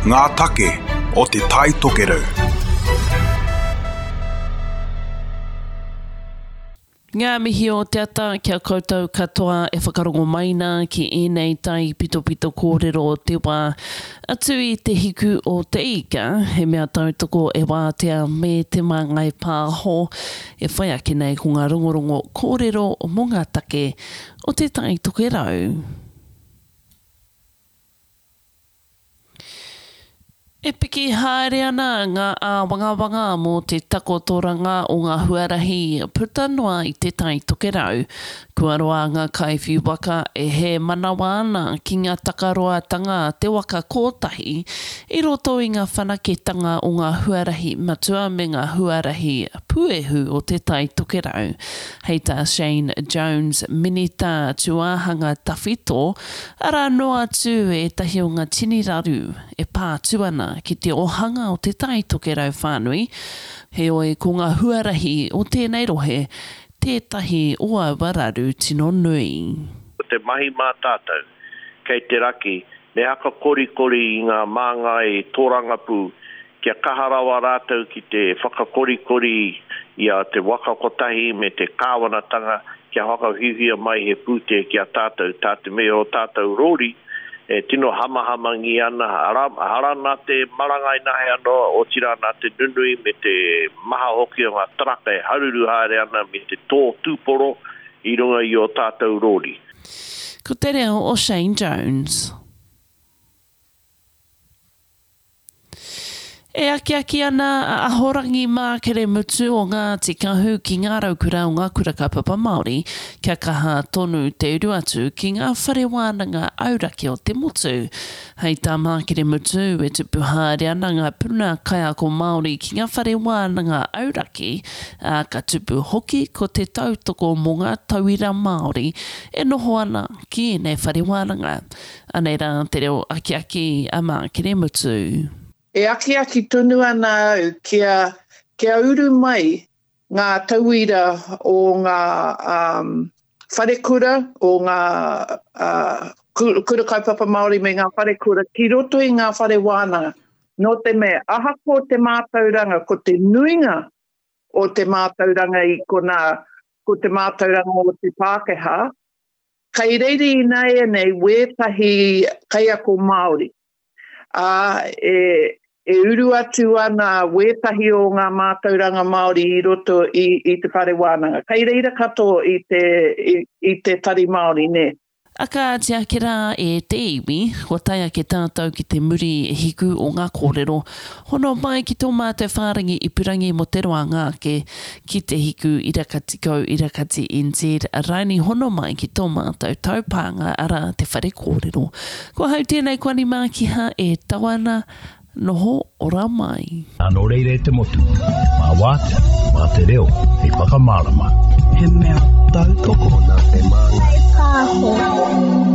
Ngā take o Te Tai Tokerau. Ngā mihi o te ata ki a koutou katoa e whakarongo mai nā ki ēnei taipitopito kōrero o te wā. Atu i Te Hiku o Te Ika, he mea tautoko e Wātea me Te Māngai Pāho, e whai ake nei ko ngā rongorongo kōrero mō ngā take o Te Tai Tokerau. E piki haere ana ngā āwangawanga mō te takotoranga o ngā huarahi puta noa i Te Tai Tokerau. Kua roa ngā kaiwhiu waka e hēmanawa ana ki ngā takaroatanga a te waka kōtahi i roto i ngā whanaketanga o ngā huarahi matua me ngā huarahi puehu o Te Tai Tokerau. Hei tā Shane Jones, Minita Tūāhanga Tawhito, Arā noa atu ētahi o ngā tini raru e pā atu ana ki te ōhanga o Te Tai Tokerau whānui, heoi ko ngā huarahi o tēnei rohe tētahi o aua raru tino nui. Ko te mahi mā tātou, kei te raki, me hakakorikori i ngā māngai tōrangapū kia kaha rawa rātou ki te whakakorikori i a Te Waka Kotahi me te kāwanatanga kia whakawhiwhia mai he pūtea ki a tātou, tā te mea o tātou rōri e tino hamahamangi ana, arā, hara nā te marangai nahe anō, otirā nā te nunui me te maha hoki o ngā taraka e haruru haere ana me te tō tūporo i runga i ō tātou rōri. Ko te reo o Shane Jones. E akiaki ana a Ahorangi Mākere Mutu o Ngāti Kahu ki ngā raukura o ngā kura kaupapa Māori kia kaha tonu te uru atu ki ngā whare wānanga auraki o te motu. Hei tā Mākere Mutu, e tupu haere ana ngā puna kaiako Māori ki ngā whare wānanga auraki, ā, ka tupu hoki ko te tautoko mō ngā tauira Māori e noho ana ki ēnei whare wānanga. Anei rā te reo akiaki a Mākeremutu. E akiaki tonu ana au kia, kia uru mai ngā tauira o ngā um, wharekura, o ngā uh, kura kaupapa Māori me ngā wharekura ki roto i ngā whare wānanga. Nō te mea, ahakoa te mātauranga, ko te nuinga o te mātauranga i konā, ko te mātauranga o te Pākehā, Kei reira ināianei wētahi kaiako Māori, ā, e, e uru atu ana wētahi o ngā mātauranga Māori i roto i, i te whare wānanga. Kei reira katoa i te, i, i te Tari Māori, nē. A kāti ake rā e te iwi, kua tae ake tātou ki te muri hiku o ngā kōrero. Hono mai ki tō mātou whārangi ipurangi mō te roanga ake, ki te hiku ira-kati-ko ira-kati NZ raini hono mai ki tō mātou taupānga arā te whare kōrero. Ko ahau tēnei ko Ani Mākiha e tau ana, noho ora mai. Nā nō reira e te motu, mā Wātea, mā te reo hei whakamārama. He mea tautoko. Nā te Māngai Pāho.